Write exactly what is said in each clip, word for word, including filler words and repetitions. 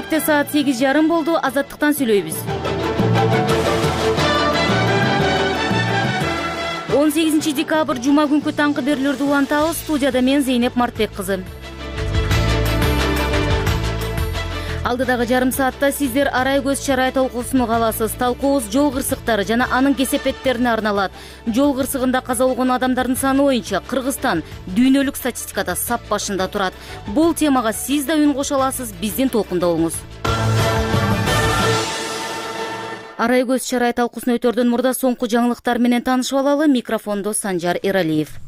Кенттте саат сегиз жарым болду. Азаттыктан сүйлөйбүз. он сегизинчи декабрь жума күнкү таңкы берүүлөрдү улантабыз. Студияда мен Зейнеп Мартбек кызы. Алдыдагы жарым саатта сиздер арай көз чарай талкуусун уга аласыз. Талкуубуз жол кырсыктары жана анын кесепеттерине арналат. Жол кырсыгында каза болгон адамдардын саны боюнча Кыргызстан дүйнөлүк статистикада сап башында турат. Бул темага сиз да үн кошо аласыз, биздин толкунда болуңуз. Арай көз чарай талкуусун өтөрдөн мурда соңку жаңылыктар менен таанышып алалы. Микрофондо Санжар Эралиев.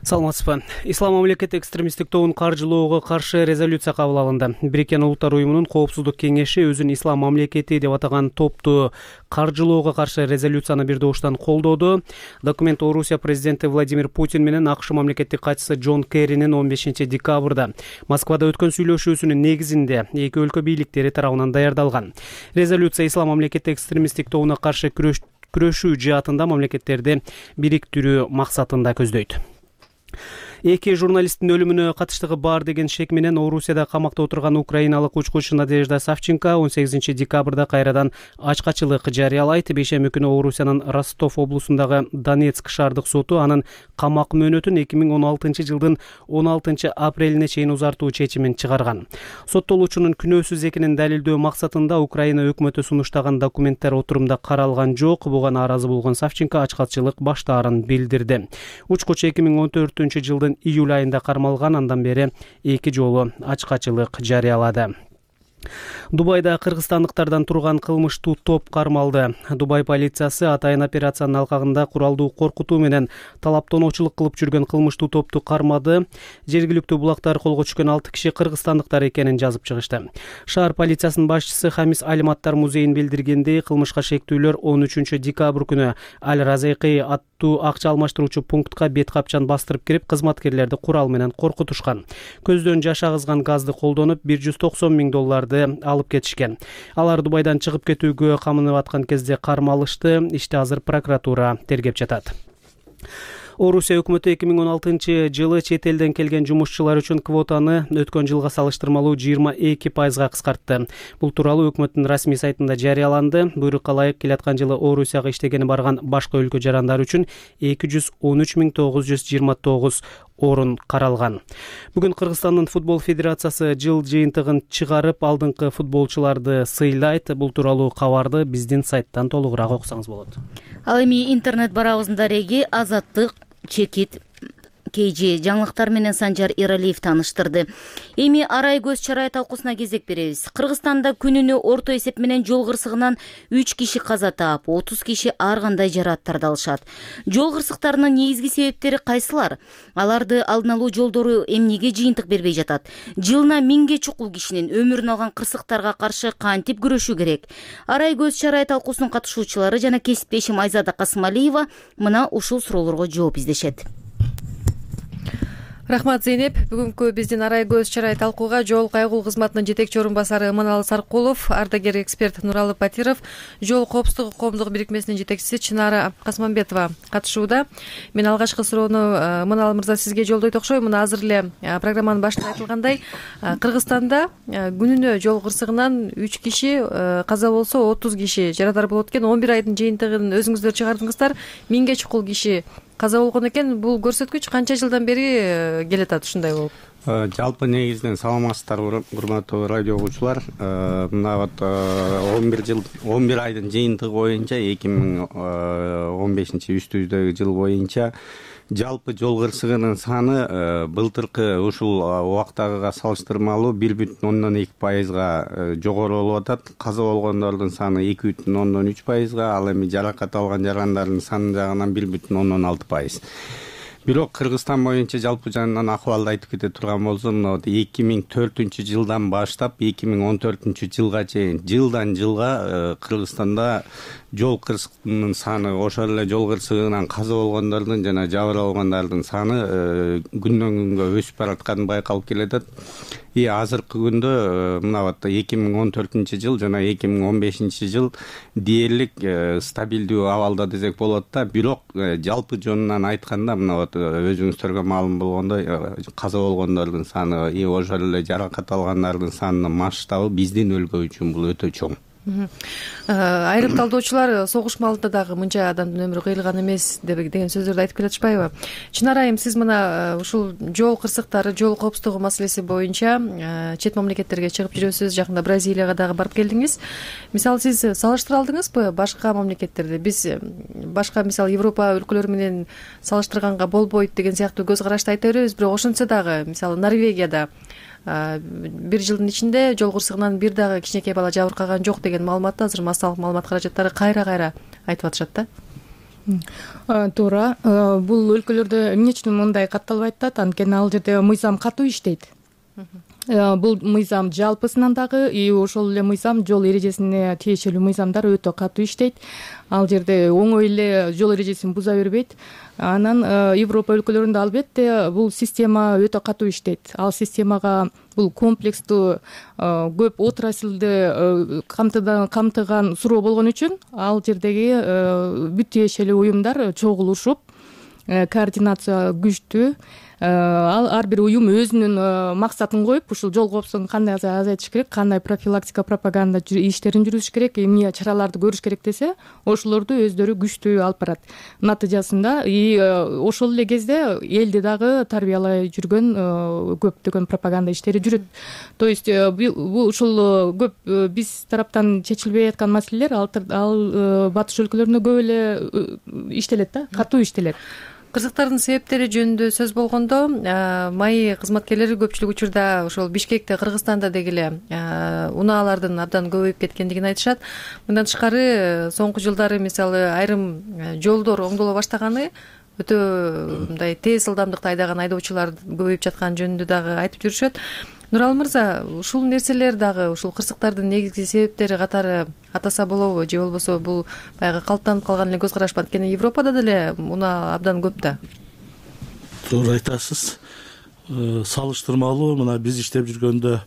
Саламатсызбы. Ислам мамлекети экстремисттик тобун каржылоого каршы резолюция кабыл алынды. Бириккен Улуттар уюмунун коопсуздук кеңеши өзүн ислам мамлекети деп атаган топту каржылоого каршы резолюцияны бир добуштан колдоду. Документ Орусия президенти Владимир Путин менен АКШ мамлекеттик катчысы Джон Керринин он бешинчи декабрда Москвада өткөн сүйлөшүүсүнүн негизинде эки өлкө бийликтери тарабынан даярдалган. Резолюция ислам мамлекети экстремисттик тобуна каршы күрөшүү жаатында мамлекеттерди бириктирүү максатында көздөйт. Эки журналисттин өлүмүнө катыштыгы бар деген шек менен Орусияда камакта отурган украиналык учкучу Надежда Савченко он сегизинчи декабрда кайрадан ачкачылык жарыялайт. Бейшемби күнү Орусиянын Ростов облусундагы Донецк шаардык соту анын камак мөөнөтүн эки миң он алтынчы жылдын он алтынчы апрелине чейин узартуу чечимин чыгарган. Соттолуучунун күнөөсүз экенин далилдөө максатында Украина өкмөтү сунуштаган документтер отурумда каралган жок. Буга нааразы болгон Савченко ачкачылык баштаарын билдирди. Учкучу эки миң он төртүнчү жылдын июль айында кармалган, андан бери эки жолу ачкачылык жарыялады. Дубайда кыргызстандыктардан турган кылмыштуу топ кармалды. Дубай полициясы атайын операциянын алкагында куралдуу коркутуу менен талаптоочулук кылып жүргөн кылмыштуу топту кармады. Жергиликтүү булактар колго түшкөн алты киши кыргызстандыктар экенин жазып чыгышты. Шаар полициясынын башчысы Хамис Алиматтар музейин билдиргендей, кылмышка шектүүлөр он үчүнчү декабрь күнү Аль Разайкы аттуу акча алмаштыруучу пунктка бет капчан бастырып кирип, кызматкерлерди курал менен коркутушкан. Көздөн жаш агызган газды колдонуп бир жүз токсон миң долларды алып кетишкен. Алар Дубайдан чыгып кетүүгө камынып аткан кезде кармалышты. Ишти азыр прокуратура тергеп жатат. Орусия өкмөтү эки миң он алтынчы жылы чет элден келген жумушчулар үчүн квотаны өткөн жылга салыштырмалуу жыйырма эки пайызга кыскартты. Бул тууралуу өкмөттүн расмий сайтында жарыяланды. Буйрукка ылайык келаткан жылы Орусияга иштегени барган башка өлкө жарандары үчүн эки жүз он үч миң тогуз жүз жыйырма тогуз орун каралган. Бүгүн Кыргызстандын футбол федерациясы жыл жыйынтыгын чыгарып, алдыңкы футболчуларды сыйлайт. Бул тууралуу кабарды биздин сайттан толугураак окусаңыз болот. Ал эми интернет барабыздын дареги Азаттык чекит Кейжи жаңылыктар менен Санжар Эралиев тааныштырды. Эми арай көз чарай талкуусуна кезек беребиз. Кыргызстанда күнүнө орто эсеп менен жол кырсыгынан үч киши каза таап, отуз киши ар кандай жарааттарды алышат. Жол кырсыктарынын негизги себептери кайсылар? Аларды алдын алуу жолдору эмнеге жыйынтык бербей жатат? Жылына миңге чукул кишинин өмүрүн алган кырсыктарга каршы кантип күрөшүү керек? Арай көз чарай талкуусунун катышуучулары жана кесиптешим Айзада Касымалиева мына ушул суроолорго жооп издешет. Рахмат, Зейнеп. Бүгүнкү биздин арай көз чарай талкууга жол кайгул кызматынын жетекчи орун басары Манал Саркулов, ардагер эксперт Нуралы Батиров, жол коопсуздугу коомдук бирикмесинин жетекчиси Чынара Касманбетова катышууда. Мен алгачкы суроону Манал мырза сизге жолдойт окшойм. Мына азыр эле программанын башында айтылгандай, Кыргызстанда күнүнө жол кырсыгынан үч киши каза болсо, отуз киши жарадар болот экен. он бир айдын жыйынтыгын өзүңүздөр чыгардыңыздар. миңге чукул киши каза болгон экен. Бул көрсөткүч канча жылдан бери келатат ушундай болуп? Жалпы негизинен саламатсыздарбы, урматтуу радио угуучулар. Мына вот он бир жыл, он бир айдын жыйынтыгы боюнча эки миң он бешинчи үстүздөгү жыл боюнча жалпы жол кырсыгынын саны былтыркы ушул убактагыга салыштырмалуу бир бүтүн ондон эки пайызга жогору болуп атат. Каза болгондордун саны эки бүтүн ондон үч пайызга, ал эми жаракат алган жарандардын саны жагынан бир бүтүн ондон алты пайыз. Бирок Кыргызстан боюнча жалпы жанынан акыбалды айтып кете турган болсом, эки миң төртүнчү жылдан баштап эки миң он төртүнчү жылга чейин жылдан жылга Кыргызстанда жол кырсыгынын саны, ошол эле жол кырсыгынан каза болгондордун жана жабыр алгандардын саны күндөн күнгө өсүп баратканы байкалып келатат. и азыркы күндө мына вот эки миң он төртүнчү жыл жана эки миң он бешинчи жыл дээрлик стабилдүү абалда десек болот да. Бирок жалпы жонунан айтканда мына вот өзүңүздөргө маалым болгондой каза болгондордун саны и ошол эле жаракат алгандардын санынын масштабы биздин өлкө үчүн бул өтө чоң. Айрым талдоочулар согуш маалында дагы мынча адамдын өмүрү кыйылган эмес деген сөздөрдү айтып келатышпайбы? Чынар айым, сиз мына ушул жол кырсыктары, жол коопсуздугу маселеси боюнча чет мамлекеттерге чыгып жүрөсүз, жакында Бразилияга дагы барып келдиңиз. Мисалы сиз салыштыра алдыңызбы башка мамлекеттерди? Биз башка мисалы Европа өлкөлөрү менен салыштырганга болбойт деген сыяктуу көз карашты айта беребиз, бирок ошентсе дагы мисалы Норвегияда бир жылдын ичинде жол кырсыгынан бир дагы кичинекей бала жабыркаган жок деген маалыматты азыр массалык маалымат каражаттары кайра кайра айтып атышат да. Туура. Бул өлкөлөрдө эмне үчүн мындай катталып айтат? Анткени ал жерде мыйзам катуу иштейт. Бул мыйзам жалпысынан дагы и ошол эле мыйзам жол эрежесине тиешелүү мыйзамдар өтө катуу иштейт. Ал жерде оңой эле жол эрежесин буза бербейт. Анан Европа өлкөлөрүндө албетте бул система өтө катуу иштейт. Ал системага бул комплекстүү көп отраслды камтыган суроо болгон үчүн ал жердеги бүт тиешелүү уюмдар чогулушуп, координация күчтүү. Ал ар бир уюм өзүнүн максатын коюп, ушул жол коопсуздугун кандай азайтыш керек, кандай профилактика, пропаганда иштерин жүргүзүш керек, эмне чараларды көрүш керек десе, ошолорду өздөрү күчтүү алып барат. Натыйжасында и ошол эле кезде элди дагы тарбиялай жүргөн көптөгөн пропаганда иштери жүрөт. То есть бул ушул көп биз тараптан чечилбей аткан маселелер ал батыш өлкөлөрүндө көп эле иштелет да, катуу иштелет. Кырсыктардын себептери жөнүндө сөз болгондо, маи кызматкерлери көпчүлүк учурда ошол Бишкекте, Кыргызстанда деги эле унаалардын абдан көбөйүп кеткендигин айтышат. Мындан тышкары соңку жылдары мисалы айрым жолдор оңдоло баштаганы, өтө мындай тез ылдамдыкта айдаган айдоочулар көбөйүп жаткан жөнүндө дагы айтып жүрүшөт. Нуралы мырза, ушул нерселер дагы ушул кырсыктардын негизги себептери катары атаса болобу, же болбосо бул баягы калыптанып калган эле көз караш ба? Анткени Европада деле унаа абдан көп да. Туура айтасыз. Салыштырмалуу мына биз иштеп жүргөндө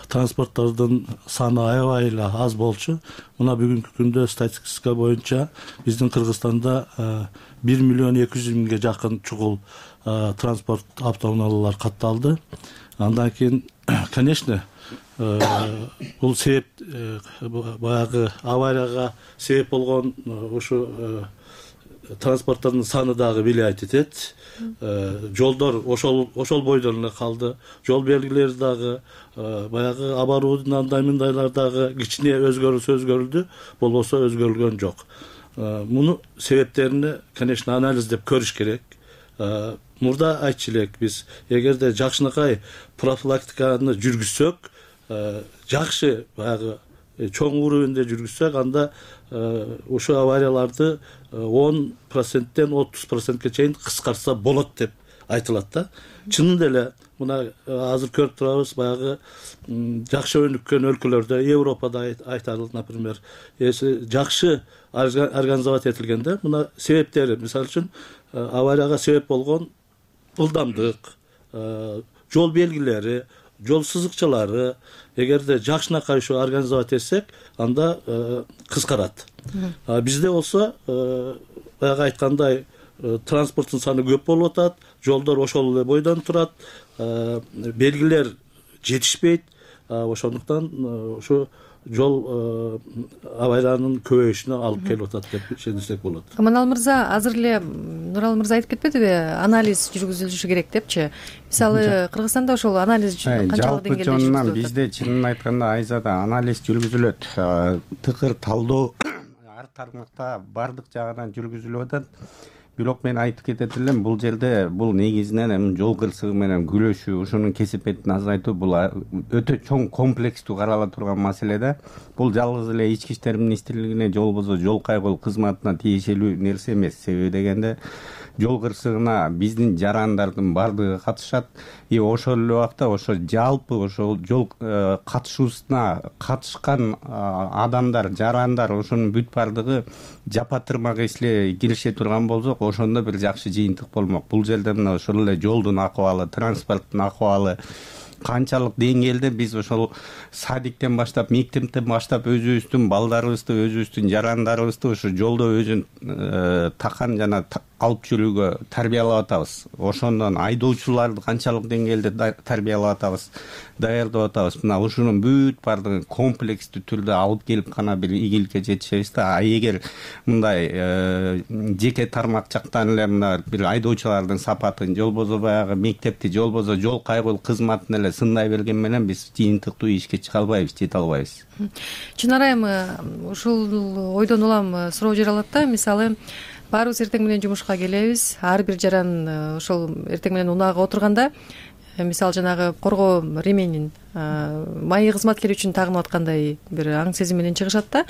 транспорттордун саны аябай эле аз болчу. Мына бүгүнкү күндө статистика боюнча биздин Кыргызстанда бир миллион эки жүз миңге жакын чугул транспорт автоунаалар катталды. Андан кийин, конечно, бул себеп баягы аварияга себеп болгон ушу транспорттордун саны дагы влиять этет. Жолдор ошол ошол бойдон эле калды. Жол белгилери дагы баягы оборудование андай мындайлар дагы кичине өзгөрүлсө өзгөрүлдү, болбосо өзгөрүлгөн жок. Муну себептерин, конечно, анализдеп көрүш керек. Мурда айтчу элек биз, эгерде жакшынакай профилактиканы жүргүзсөк, жакшы баягы чоң уровенде жүргүзсөк, анда ушу аварияларды он проценттен отуз процентке чейин кыскартса болот деп айтылат да. Чынында эле мына азыр көрүп турабыз, баягы жакшы өнүккөн өлкөлөрдө, Европада айтарлык, например, жакшы организовать этилгенде, мына себептери, мисалы үчүн аварияга себеп болгон ылдамдык, жол белгилери, жол сызыкчалары, эгерде жакшынакай ушу организовать этсек, анда кыскарат. Бизде болсо, баягы айткандай, транспорттун саны көп болуп атат, жолдор ошол эле бойдон турат, белгилер жетишпейт, ошондуктан ушу жол авариянын көбөйүшүнө алып келип атат деп ишендирсек болот. Манал мырза, азыр эле Нуралы мырза айтып кетпедиби, анализ жүргүзүлүшү керек депчи? Мисалы, Кыргызстанда ошол анализ канчалык деңгээлде жүргүзүлөт? Жалпы жонунан бизде чынын айтканда Айзада анализ жүргүзүлөт. Тыкыр талдоо ар тармакта бардык жагынан жүргүзүлүп атат. Бирок мен айтып кетет элем, бул жерде бул негизинен эми жол кырсыгы менен күрөшүү, ушунун кесепетин азайтуу бул өтө чоң комплекстүү карала турган маселе да. Бул жалгыз эле ички иштер министрлигине же болбосо жол кайгылуу кызматына тиешелүү нерсе эмес. Себеби дегенде жол кырсыгына биздин жарандардын бардыгы катышат. И ошол эле убакта ошо жалпы ошол жол катышуусуна катышкан адамдар, жарандар, ошонун бүт бардыгы жапа тырмак эсле кирише турган болсок, ошондо бир жакшы жыйынтык болмок. Бул жерде мына ошол эле жолдун акыбалы, транспорттун акыбалы, канчалык деңгээлде биз ошол садиктен баштап, мектептен баштап өзүбүздүн балдарыбызды, өзүбүздүн жарандарыбызды ушу жолдо өзүн такан жана алып жүрүүгө тарбиялап атабыз. Ошондон айдоочуларды канчалык деңгээлде тарбиялап атабыз, даярдап атабыз. Мына ушунун бүт баардыгын комплекстүү түрдө алып келип гана бир ийгиликке жетишебиз да. А эгер мындай жеке тармак жактан эле мына бир айдоочулардын сапатын, же болбосо баягы мектепти, же болбосо жол кайгылуу кызматын эле сындай берген менен биз жыйынтыктуу ишке чыга албайбыз, жете албайбыз. Чынара айым, ушул ойдон улам суроо жаралат да. Мисалы, баарыбыз эртең менен жумушка келебиз. Ар бир жаран ошол эртең менен унаага отурганда, мисалы жанагы коргоо ременин майы кызматкер үчүн тагынып аткандай бир аң сезим менен чыгышат да.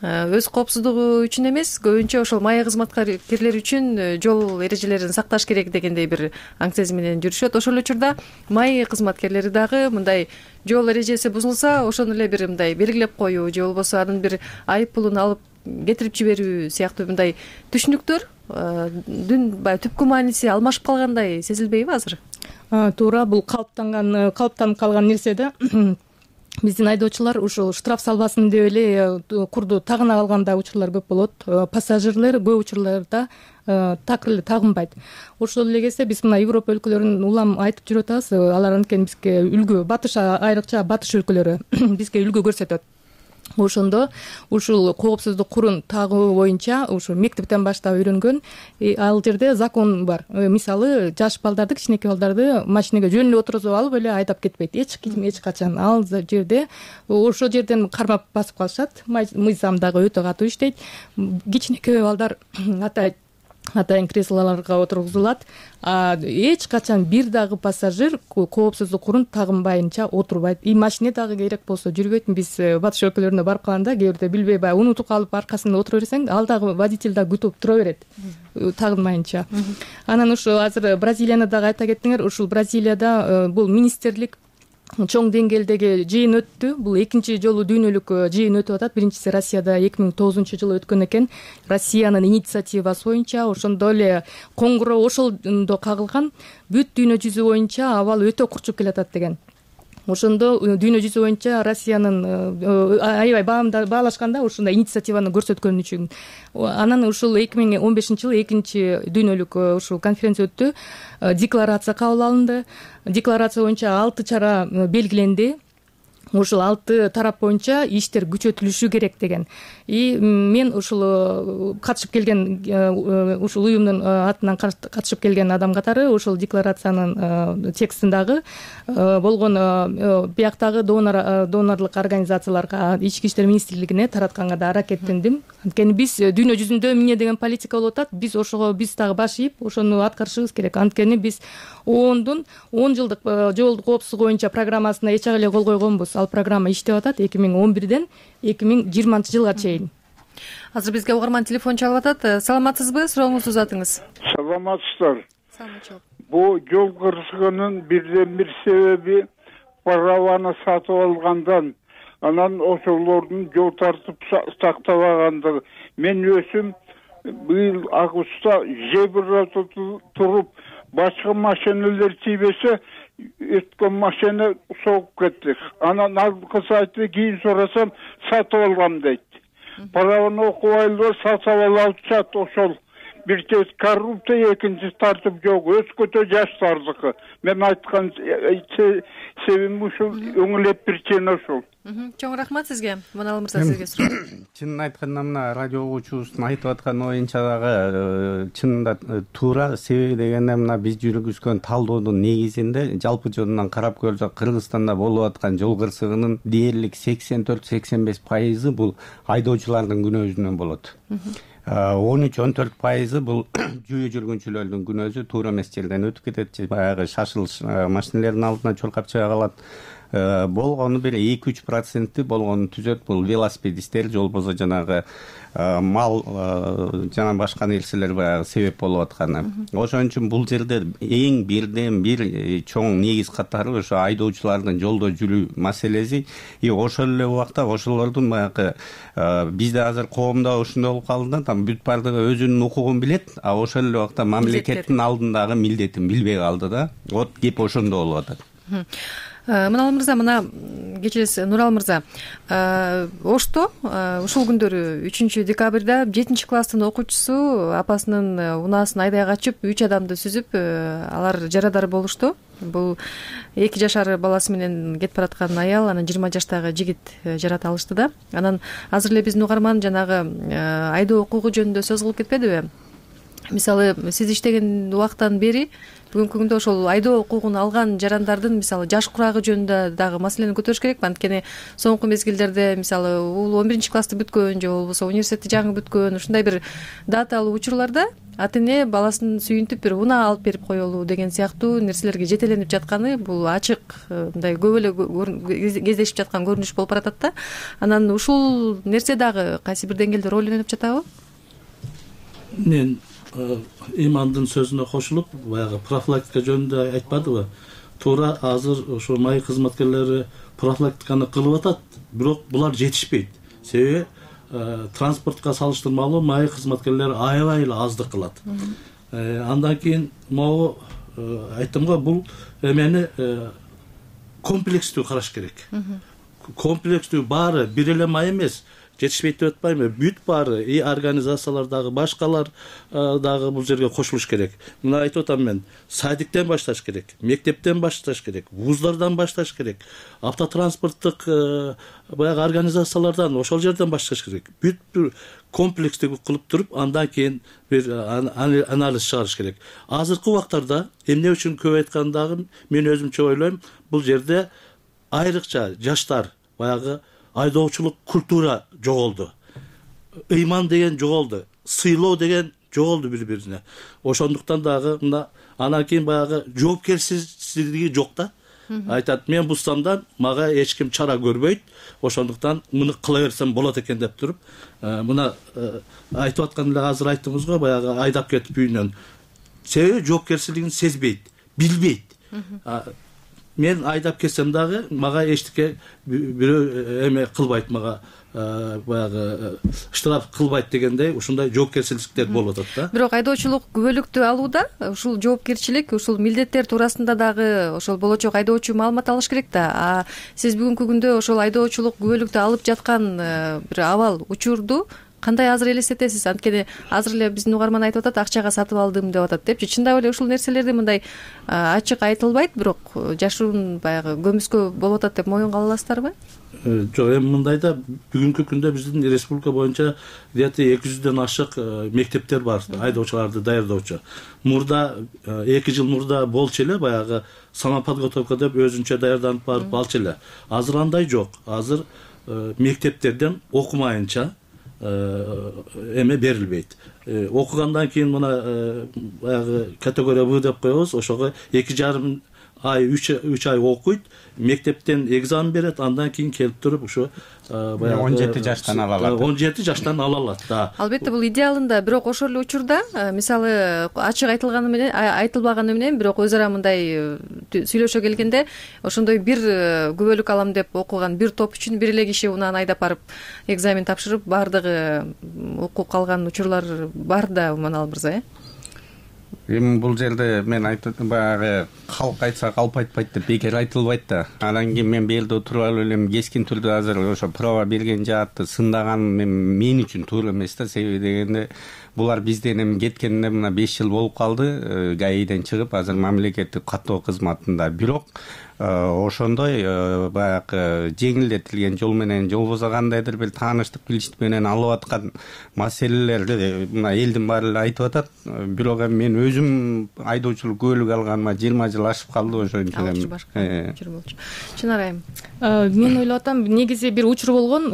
Өз коопсуздугу үчүн эмес, көбүнчө ошол майы кызматкерлер үчүн жол эрежелерин сакташ керек дегендей бир аң сезим менен жүрүшөт. Ошол эле учурда майы кызматкерлери дагы мындай жол эрежеси бузулса, ошону эле бир мындай белгилеп коюу, же болбосо анын бир айып пулун алып кетирип жиберүү сыяктуу мындай түшүнүктөр дүн баягы түпкү мааниси алмашып калгандай сезилбейби азыр? Туура, бул калыптанган калыптанып калган нерсе да. Биздин айдоочулар ушул штраф салбасын деп эле курду тагына калганда учурлар көп болот. Пассажирлер көп учурларда такыр эле тагынбайт. Ошол эле кезде биз мына Европа өлкөлөрүн улам айтып жүрүп атабыз. Алар анткени бизге үлгү, батыш, айрыкча батыш өлкөлөрү бизге үлгү көрсөтөт. Ошондо ушул коопсуздук курун тагуу боюнча ушу мектептен баштап үйрөнгөн. Ал жерде закон бар. Мисалы, жаш балдарды, кичинекей балдарды машинеге жөн эле отургузуп алып эле айдап кетпейт. Эч ким эч качан. Ал жерде ошол жерден кармап басып калышат. Мыйзам дагы өтө катуу иштейт. Кичинекей балдар атайын атайын креслолорго отургузулат. Эч качан бир дагы пассажир коопсуздук курун тагынбайынча отурбайт. И машине дагы керек болсо жүрбөйт. Биз батыш өлкөлөрүнө барып калганда кээ бирде билбей баягы унутуп калып аркасында отура берсең, ал дагы водитель дагы күтүп тура берет тагынмайынча. Анан ушу азыр Бразилияны дагы айта кеттиңер. Ушул Бразилияда бул министрлик чоң деңгээлдеги жыйын өттү. Бул экинчи жолу дүйнөлүк жыйын өтүп атат. Биринчиси Россияда эки миң тогузунчу жылы өткөн экен. Россиянын инициативасы боюнча ошондо эле коңгуроо ошолдо кагылган. Бүт дүйнө жүзү боюнча абал өтө курчуп келатат деген. Ошондо дүйнө жүзү боюнча Россиянын аябай баалашканда ушундай инициативаны көрсөткөн үчүн. Анан ушул эки миң он бешинчи жылы экинчи дүйнөлүк ушул конференция өттү. Декларация кабыл алынды. Декларация боюнча алты чара белгиленди. Ушул алты тарап боюнча иштер күчөтүлүшү керек деген. И мен ушул катышып келген ушул уюмдун атынан катышып келген адам катары ушул декларациянын текстиндагы болгон бияктагы донор донорлук организацияларга, ички иштер министрлигине таратканга да аракеттендим. Анткени биз дүйнө жүзүндө эмне деген политика болуп атат, биз ошого биз дагы баш ийип ошону аткарышыбыз керек. Анткени биз оондун он жылдык жол коопсуздугу боюнча программасына эч эле кол койгонбуз. Ал программа иштеп атат эки миң он бирден эки миң жыйырманчы жылга чейин. Азыр бизге угарман телефон чалып атат. Саламатсызбы? Сурооңузду узатыңыз. Саламатсыздар. Саламатчылык. Бул жол кырсыгынын бирден бир себеби праваны сатып алгандан, анан ошолордун жол тартып сактабагандыгы. Мен өзүм быйыл августта жебрада туруп, башка машиналар тийбесе, өткөн машина согуп кетти. Анан алкысы айтты, кийин сурасам, сатып алгам дейт. Праваны окубайлар сатып алышат ошол. Бир кез коррупция, экинчи тартып жок, өзгөчө жаштардыкы. Мен айткан себебим ушул, өңүлөп причина ушул. Чоң рахмат сизге. Манал мырза, сизге суроо. Чынын айтканда мына радио угуучубуздун айтып аткан оюнча дагы чынында туура. Себеби дегенде мына биз жүргүзгөн талдоодун негизинде жалпы жөнүнөн карап көрсөк, Кыргызстанда болуп аткан жол кырсыгынын дээрлик сексен төрт сексен беш пайызы бул айдоочулардын күнөөсүнөн болот. он үч он төрт пайызы бул жөө жүргүнчүлөрдүн күнөөсү, туура эмес жерден өтүп кетет, баягы шашылыш машинелердин алдына чуркап чыга калат. Болгону бир эки үч проценти болгону түзөт бул велосипедисттер, же болбосо жанагы мал жана башка нерселер баягы себеп болуп атканы. Ошон үчүн бул жерде эң бирден бир чоң негиз катары ошо айдоочулардын жолдо жүрүү маселеси. И ошол эле убакта ошолордун баягы бизде азыр коомдо ушундай болуп калды да, там бүт бардыгы өзүнүн укугун билет, а ошол эле убакта мамлекеттин алдындагы милдетин билбей калды да. Вот кеп ошондо болуп атат. Мынал мырза, мына кечиресиз, Нурал мырза, Ошто ушул күндөрү үчүнчү декабрда жетинчи класстын окуучусу апасынын унаасын айдай качып үч адамды сүзүп, алар жарадар болушту. Бул эки жашар баласы менен кетип бараткан аял, анан жыйырма жаштагы жигит жарата алышты да. Анан азыр эле биздин угарман жанагы айдоо укугу жөнүндө сөз кылып кетпедиби? Мисалы, сиз иштеген убактан бери бүгүнкү күндө ошол айдоо укугун алган жарандардын мисалы жаш курагы жөнүндө дагы маселени көтөрүш керекпи? Анткени соңку мезгилдерде мисалы ул он биринчи классты бүткөн же болбосо университетти жаңы бүткөн ушундай бир даталуу учурларда ата эне баласын сүйүнтүп бир унаа алып берип коелу деген сыяктуу нерселерге жетеленип жатканы бул ачык мындай көп эле кездешип жаткан көрүнүш болуп баратат да. Анан ушул нерсе дагы кайсы бир деңгээлде роль ойноп жатабы? Мен имандын сөзүнө кошулуп, баягы профилактика жөнүндө айтпадыбы? Туура азыр ошо май кызматкерлери профилактиканы кылып атат, бирок булар жетишпейт. Себеби транспортко салыштырмалуу май кызматкерлери аябай эле аздык кылат. Андан кийин могу айттым го, бул эмени комплекстүү караш керек. Комплекстүү баары бир эле май эмес, жетишпейт деп атпайбы, бүт баары, и организациялар дагы, башкалар дагы бул жерге кошулуш керек. Мына айтып атам мен, садиктен башташ керек, мектептен башташ керек, вуздардан башташ керек, автотранспорттук баягы организациялардан, ошол жерден башташ керек. Бүт бир комплекстүү кылып туруп, андан кийин бир анализ чыгарыш керек. Азыркы убактарда эмне үчүн көп айткандагы, мен өзүмчө ойлойм, бул жерде айрыкча жаштар баягы айдоочулук культура жоголду. Ыйман деген жоголду. Сыйлоо деген жоголду бири-бирине. Ошондуктан дагы мына анан кийин баягы жоопкерчилиги жок да. Айтат, мен бузсам да мага эч ким чара көрбөйт. Ошондуктан муну кыла берсем болот экен деп туруп, мына айтып аткан эле азыр айттыңыз го, баягы айдап кетип үйүнөн. Себеби жоопкерчилигин сезбейт, билбейт. Мен айдап кетсем дагы мага эчтеке бирөө эме кылбайт, мага баягы штраф кылбайт дегендей ушундай жоопкерчиликтер болуп атат да. Бирок айдоочулук күбөлүктү алууда ушул жоопкерчилик, ушул милдеттер туурасында дагы ошол болочок айдоочу маалымат алыш керек да. А сиз бүгүнкү күндө ошол айдоочулук күбөлүктү алып жаткан бир абал учурду кандай азыр элестетесиз? Анткени азыр эле биздин угарман айтып атат, акчага сатып алдым деп атат депчи. Чындап эле ушул нерселерди мындай ачык айтылбайт, бирок жашыруун баягы көмүскө болуп атат деп моюнга ала аласыздарбы? Жок, эми мындай да, бүгүнкү күндө биздин республика боюнча где-то эки жүздөн ашык мектептер бар, айдоочуларды даярдоочу. Мурда эки жыл мурда болчу эле, баягы самоподготовка деп өзүнчө даярданып барып алчу эле. Азыр андай жок. Азыр мектептерден окумайынча эме берилбейт. Окугандан кийин мына баягы категория В деп коебуз, ошого эки жарым ай, үч ай окуйт, мектептен экзамен берет, андан кийин келип туруп ушу баягы он жети жаштан ала алат. он жети жаштан ала алат да. Албетте бул идеалында, бирок ошол эле учурда мисалы ачык айтылганы менен, айтылбаганы менен, бирок өз ара мындай сүйлөшө келгенде ошондой бир күбөлүк алам деп окуган бир топ үчүн бир эле киши унааны айдап барып экзамен тапшырып, баардыгы окуп калган учурлар бар да, Манал мырза, э? Эми бул жерде мен айтып баягы калк айтса калп айтпайт деп бекер айтылбайт да. Анан кийин мен бул жерде отуруп алып элем кескин түрдө азыр ошо права берген жаатты сындаганым мен үчүн туура эмес да. Себеби дегенде булар бизден эми кеткенине мына беш жыл болуп калды, ГАИден чыгып азыр мамлекеттик каттоо кызматында. Бирок ошондой баягы жеңилдетилген жол менен же болбосо кандайдыр бир тааныштык билиштик менен алып аткан маселелерди мына элдин баары эле айтып атат. Бирок эми мен өзүм айдоочулук күбөлүк алганыма жыйырма жыл ашып калды, ошон үчүн. Чынар айым, мен ойлоп атам, негизи бир учур болгон,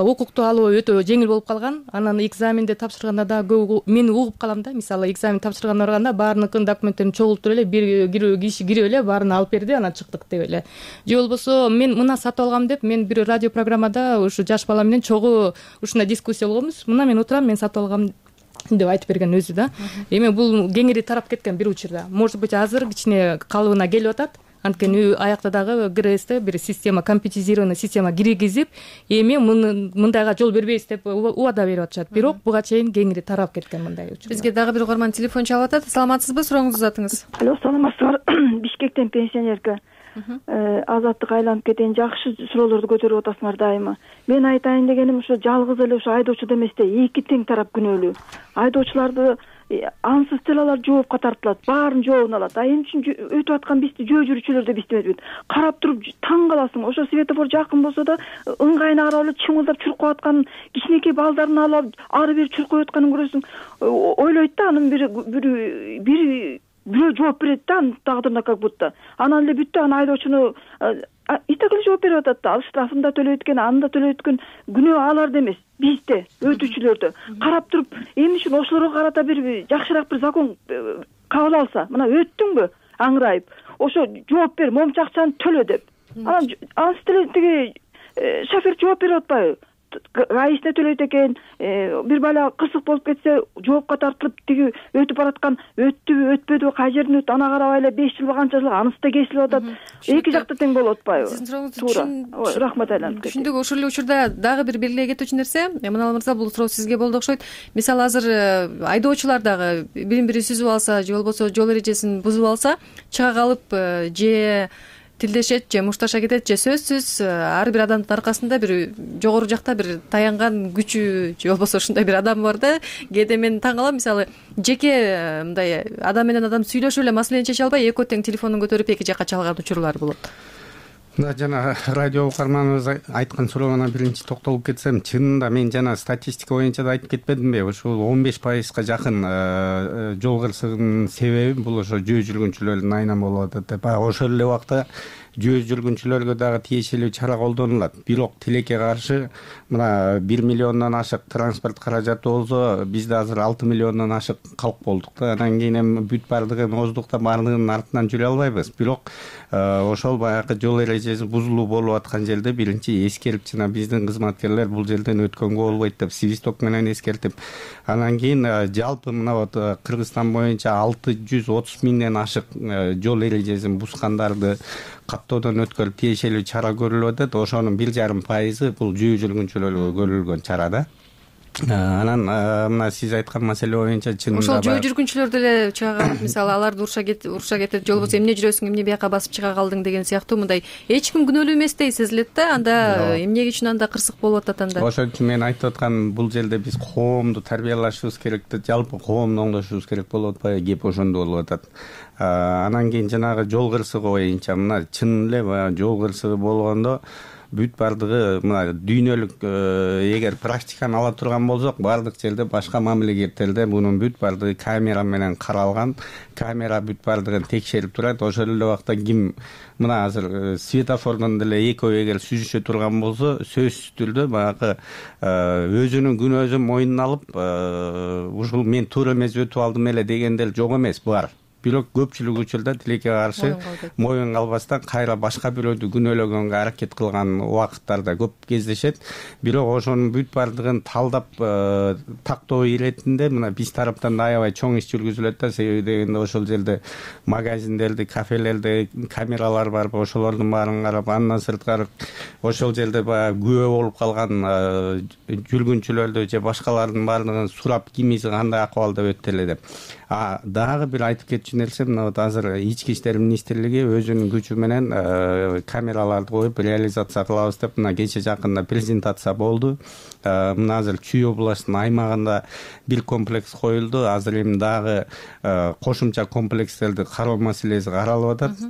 укукту алуу өтө жеңил болуп калган. Анан экзаменди тапшырганда да мен угуп калам да, мисалы экзамен тапшырганда барганда баарыныкын документтерин чогултуп эле бир киши кирип эле баарын алып берди, анан чыктык деп эле. Же болбосо мен мына сатып алгам деп мен бир радио программада ушу жаш бала менен чогуу ушундай дискуссия болгонбуз. Мына мен отурам, мен сатып алгам деп айтып берген өзү да. Эми бул кеңири тарап кеткен бир учурда. Может быть, азыр кичине калыбына келип атат. Анткени аякта дагы ГРСте бир система, компьютеризированный система киргизип, эми мындайга жол бербейбиз деп убада берип атышат. Бирок буга чейин кеңири тарап кеткен мындай учур. Бизге дагы бир угарман телефон чалып атат. Саламатсызбы? Сурооңузду узатыңыз. Алло, саламатсызбы? Бишкектен пенсионерка. азаттык айланып кетейин, жакшы суроолорду көтөрүп атасыңар дайыма. Мен айтайын дегеним ошо жалгыз эле ошо айдоочу эмес да, эки тең тарап күнөөлүү. Айдоочуларды ансыз деле алар жоопко тартылат, баарын жообун алат. А эмне үчүн өтүп аткан бизди жөө жүрүүчүлөр деп иштебейт. Карап туруп таң каласың. Ошо светофор жакын болсо да ыңгайына карап эле чыңылдап чуркап аткан кичинекей балдарын алып ары бери чуркап атканын көрөсүң. Ойлойт да, анын бир бир бир бирөө жооп берет да, анын тагдырына как будто. Анан эле бүттү, анан айдоочуну итак эле жооп берип атат да. Ал штрафын да төлөйт экен, аны да төлөйт экен. Күнөө аларда эмес, бизде, өтүүчүлөрдө. Карап туруп, эмне үчүн ошолорго карата бир жакшыраак бир закон кабыл алса, мына өттүңбү аңырайып, ошо жооп бер, момчу акчаны төлө деп. Анан ансы деле тиги шофер жооп берип атпайбы? Гаишине төлөйт экен, бир бала кырсык болуп кетсе жоопко тартылып, тиги өтүп бараткан өттүбү, өтпөдүбү, кай жерден өттү, ана карабай эле беш жыл канча жыл анысы да кесилип атат. Эки жакта тең болуп атпайбы? Сиздин сурооңузду рахмат айланып кетти. Түшүндүк. Ошол эле учурда дагы бир белгилей кетүүчү нерсе, Манал мырза, бул суроо сизге болду окшойт. Мисалы азыр айдоочулар дагы бирин бири сүзүп алса, же болбосо жол эрежесин бузуп алса, чыга калып же тилдешет, же мушташа кетет, же сөзсүз ар бир адамдын аркасында бир жогору жакта бир таянган күчү же болбосо ушундай бир адам бар да. Кээде мен таң калам, мисалы жеке мындай адам менен адам сүйлөшүп эле маселени чече албай экөө тең телефонун көтөрүп эки жакка чалган учурлар болот. Да, жана радио угарманыбыз айткан сурооңа биринчи токтолуп кетсем, чынында мен жана статистика боюнча да айтып кетпедимби? Ушул он беш пайызга жакын жол кырсыгынын себеби бул ошо жөө жүргүнчүлөрдүн айынан болуп атат деп. Ошол эле убакта жөө жүргүнчүлөргө дагы тиешелүү чара колдонулат. Бирок тилекке каршы мына бир миллиондон ашык транспорт каражаты болсо, бизде азыр алты миллиондон ашык калк болдук да. Анан кийин эми бүт бардыгын оздукта бардыгынын артынан жүрө албайбыз. Бирок ошол баягы жол эрежеси бузулуу болуп аткан жерде биринчи эскерип, жана биздин кызматкерлер бул жерден өткөнгө болбойт деп свисток менен эскертип, анан кийин жалпы мына вот Кыргызстан боюнча алты жүз отуз миңден ашык жол эрежесин бузгандарды каттоодон өткөрүп тиешелүү чара көрүлүп атат. Ошонун бир жарым пайызы бул жөө жүргүнчүлөргө көрүлгөн чара да. Анан мына сиз айткан маселе боюнча чынында ошол жөө жүргүнчүлөр деле чыга калып, мисалы аларды урша кетип, урша кетип, же болбосо эмне жүрөсүң, эмне бияка басып чыга калдың деген сыяктуу мындай эч ким күнөөлүү эместей сезилет да. Анда эмне үчүн анда кырсык болуп атат анда? Ошон үчүн мен айтып атканым, бул жерде биз коомду тарбиялашыбыз керек да, жалпы коомду оңдошубуз керек болуп атпайбы? Кеп ошондо болуп атат. Анан кийин жанагы жол кырсыгы боюнча мына чын эле баягы жол кырсыгы болгондо бүт бардыгы мына дүйнөлүк эгер практиканы ала турган болсок, бардык жерде башка мамлекеттерде мунун бүт бардыгы камера менен каралган, камера бүт бардыгын текшерип турат. Ошол эле убакта ким мына азыр светофордон деле экөө эгер сүзүшө турган болсо, сөзсүз түрдө баягы өзүнүн күнөөсүн мойнуна алып, ушул мен туура эмес өтүп алдым эле дегендер жок эмес, бар. Бирок көпчүлүк учурда тилекке каршы моюн калбастан кайра башка бирөөдү күнөөлөгөнгө аракет кылган убакыттарда көп кездешет. Бирок ошонун бүт бардыгын талдап тактоо иретинде мына биз тараптан да аябай чоң иш жүргүзүлөт да. Себеби дегенде ошол жерде магазиндерде, кафелерде камералар бар, ошолордун баарын карап, андан сырткары ошол жерде баягы күбө болуп калган жүргүнчүлөрдү же башкалардын баардыгын сурап, кимиси кандай акыбалда өттү эле деп. А дагы бир айтып кетчү нерсе, мына вот азыр ички иштер министрлиги өзүнүн күчү менен камераларды коюп реализация кылабыз деп мына кече жакында презентация болду. Мына азыр Чүй областынын аймагында бир комплекс коюлду. Азыр эми дагы кошумча комплекстерди кароо маселеси каралып атат.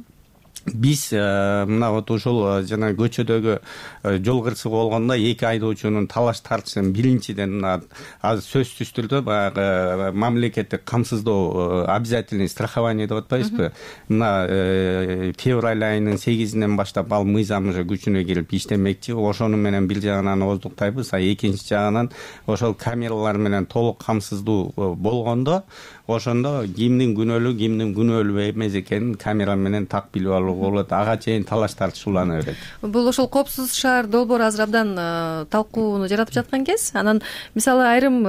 Биз мына вот ошол жана көчөдөгү жол кырсыгы болгондо эки айдоочунун талаш тартышын биринчиден мына азыр сөзсүз түрдө баягы мамлекеттик камсыздоо обязательный страхование деп атпайбызбы? Мына февраль айынын сегизинен баштап ал мыйзам уже күчүнө кирип иштемекчи. Ошону менен бир жагынан оздуктайбыз, а экинчи жагынан ошол камералар менен толук камсыздуу болгондо, ошондо кимдин күнөөлүү, кимдин күнөөлүү эмес экенин камера менен так билип алууга болот. Ага чейин талаш тартыш улана берет. Бул ошол коопсуз шаар долбоору азыр абдан талкууну жаратып жаткан кез. Анан мисалы айрым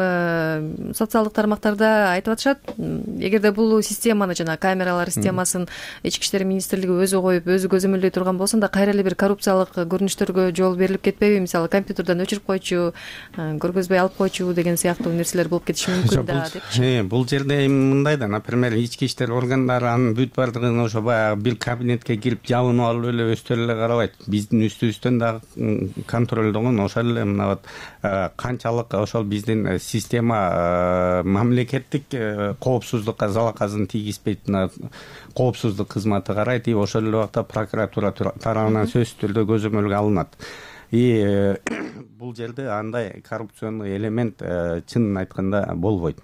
социалдык тармактарда айтып атышат, эгерде бул системаны жана камералар системасын ички иштер министрлиги өзү коюп, өзү көзөмөлдөй турган болсо, анда кайра эле бир коррупциялык көрүнүштөргө жол берилип кетпейби? Мисалы компьютерден өчүрүп койчу, көргөзбөй алып койчу деген сыяктуу нерселер болуп кетиши мүмкүн да депчи. Бул жерде мындай да, например, ички иштер органдары анын бүт бардыгын ошо баягы бир кабинетке интернетке кирип жабынып алып эле өздөрү эле карабайт, биздин үстүбүздөн дагы контролдогон ошол эле мына вот канчалык ошол биздин система мамлекеттик коопсуздукка залалын тийгизбейт, мына коопсуздук кызматы карайт, и ошол эле убакта прокуратура тарабынан сөзсүз түрдө көзөмөлгө алынат. И бул жерде андай коррупционный элемент чынын айтканда болбойт.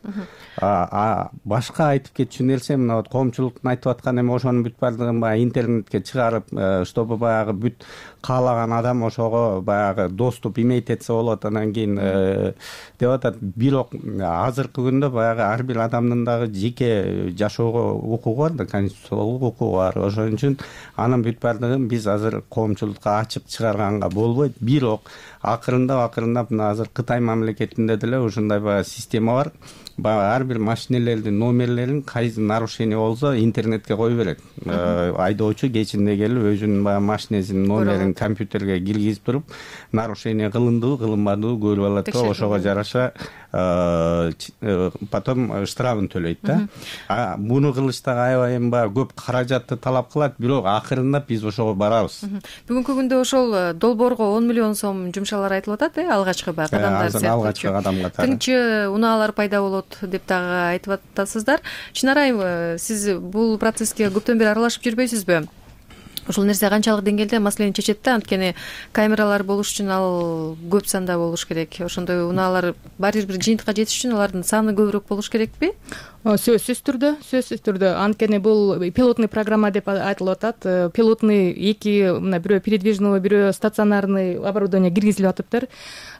А башка айтып кетчү нерсе мына вот коомчулуктун айтып аткан эми ошонун бүт баардыгын баягы интернетке чыгарып, чтобы баягы бүт каалаган адам ошого баягы доступ иметь этсе болот, анан кийин деп атат. Бирок азыркы күндө баягы ар бир адамдын дагы жеке жашоого укугу бар да, конституциялык укугу бар. Ошон үчүн анын бүт баардыгын биз азыр коомчулукка ачып чыгарганга болбойт. Бирок акырындап акырындап мына азыр Кытай мамлекетинде деле ушундай баягы система бар. Баягы ар бир машинелердин номерлерин кайсы нарушение болсо интернетке кое берет. Айдоочу кечинде келип өзүнүн баягы машинесинин номерин компьютерге киргизип туруп, нарушение кылындыбы, кылынбадыбы көрүп алат да, ошого жараша потом штрафын төлөйт да. А муну кылыш дагы аябай эми баягы көп каражатты талап кылат, бирок акырындап биз ошого барабыз. Бүгүнкү күндө ошол долбоорго он миллион сом жумшалар айтылып атат, э, алгачкы баягы кадамдар сыяктуу. Алгачкы кадам катары. Тыңчы унаалар пайда болот деп дагы айтып атасыздар. Чынара, сиз бул процесске көптөн бери аралашып жүрбөйсүзбү? Ушул нерсе канчалык деңгээлде маселени чечет да? Анткени камералар болуш үчүн ал көп санда болуш керек. Ошондой унаалар баары бир жыйынтыкка жетиш үчүн алардын саны көбүрөөк болуш керекпи? Сөзсүз түрдө, сөзсүз түрдө. Анткени бул пилотный программа деп айтылып атат. Пилотный эки, мына бирөө передвижный, бирөө стационарный оборудование киргизилип атыптыр.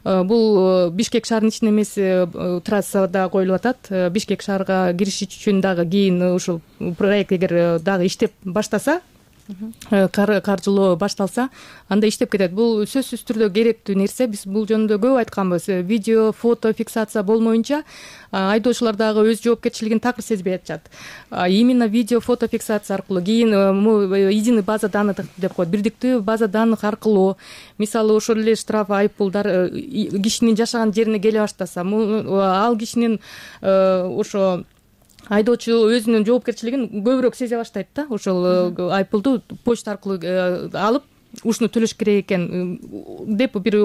Бул Бишкек шаарынын ичинде эмес, трассада коюлуп атат. Бишкек шаарга кириш үчүн дагы кийин ушул проект эгер дагы иштеп баштаса, каржылоо башталса, анда иштеп кетет. Бул сөзсүз түрдө керектүү нерсе. Биз бул жөнүндө көп айтканбыз. Видео, фото фиксация болмоюнча айдоочулар дагы өз жоопкерчилигин такыр сезбей атышат. Именно видео, фото фиксация аркылуу, кийин единый база данных деп коет, бирдиктүү база данных аркылуу, мисалы ошол эле штраф, айыппулдар кишинин жашаган жерине келе баштаса, ал кишинин ошо айдоочу өзүнүн жоопкерчилигин көбүрөөк сезе баштайт да. Ошол айыппулду почта аркылуу алып, ушуну төлөш керек экен деп бир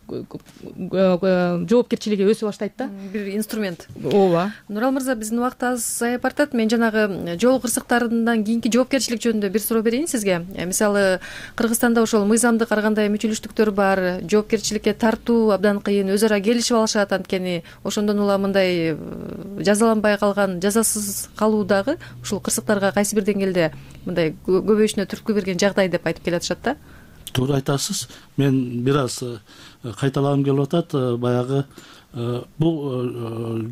жоопкерчилиги өсүп баштайт да. Бир инструмент. Ооба. Нурал мырза, биздин убакыт азайып бартат. Мен жанагы жол кырсыктарынан кийинки жоопкерчилик жөнүндө бир суроо берейин сизге. Мисалы, Кыргызстанда ошол мыйзамдык ар кандай мүчүлүштүктөр бар, жоопкерчиликке тартуу абдан кыйын, өз ара келишип алышат. Анткени ошондон улам мындай жазаланбай калган, жазасыз калуу дагы ушул кырсыктарга кайсы бир деңгээлде мындай көбөйүшүнө түрткү берген жагдай деп айтып келатышат да. Туура айтасыз. Мен бир аз кайталагым келип атат. Баягы бул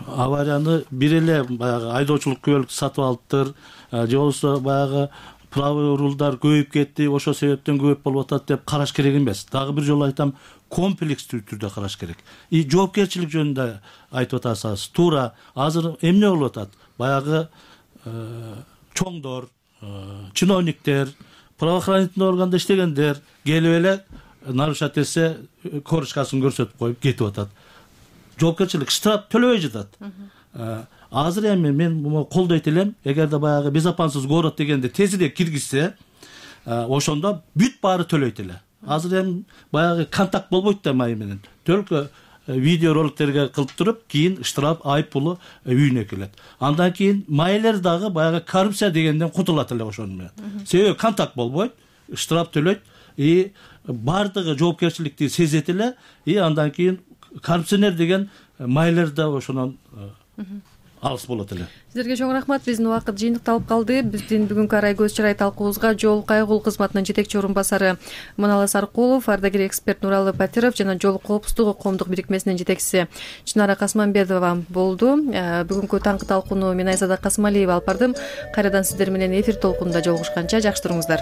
аварияны бир эле баягы айдоочулук күбөлүк сатып алыптыр, же болбосо баягы правый рулдар көбөйүп кетти, ошол себептен көп болуп атат деп караш керек эмес. Дагы бир жолу айтам, комплекстүү түрдө караш керек. И жоопкерчилик жөнүндө айтып атасыз. Туура, азыр эмне болуп атат? Баягы чоңдор, чиновниктер, правоохранительный органда иштегендер келип эле нарушать этсе корочкасын көрсөтүп коюп кетип атат. Жоопкерчилик штраф төлөбөй жатат. Азыр эми мен муну колдойт элем. Эгерде баягы безопасность город дегенде тезирээк киргизсе, ошондо бүт баары төлөйт эле. Азыр эми баягы контакт болбойт да май менен. Только видео роликтерге кылып туруп, кийин штраф, айып пулу үйүнө келет. Андан кийин майлер дагы баягы коррупция дегенден кутулат эле ошону менен. Себеби контакт болбойт, штраф төлөйт, и бардыгы жоопкерчиликти сезет эле, и андан кийин коррупционер деген майлер да ошонон алыс болот эле. Сиздерге чоң рахмат. Биздин убакыт жыйынтыкталып калды. Биздин бүгүнкү арай көз чарай талкуубузга жол кайгыл кызматынын жетекчи орун басары Маналы Саркулов, ардагер эксперт Нуралы Батиров жана жол коопсуздугу коомдук бирикмесинин жетекчиси Чынара Касманбетова болду. Бүгүнкү таңкы талкууну мен Айзада Касымалиева алып бардым. Кайрадан сиздер менен эфир толкунунда жолугушканча жакшы туруңуздар.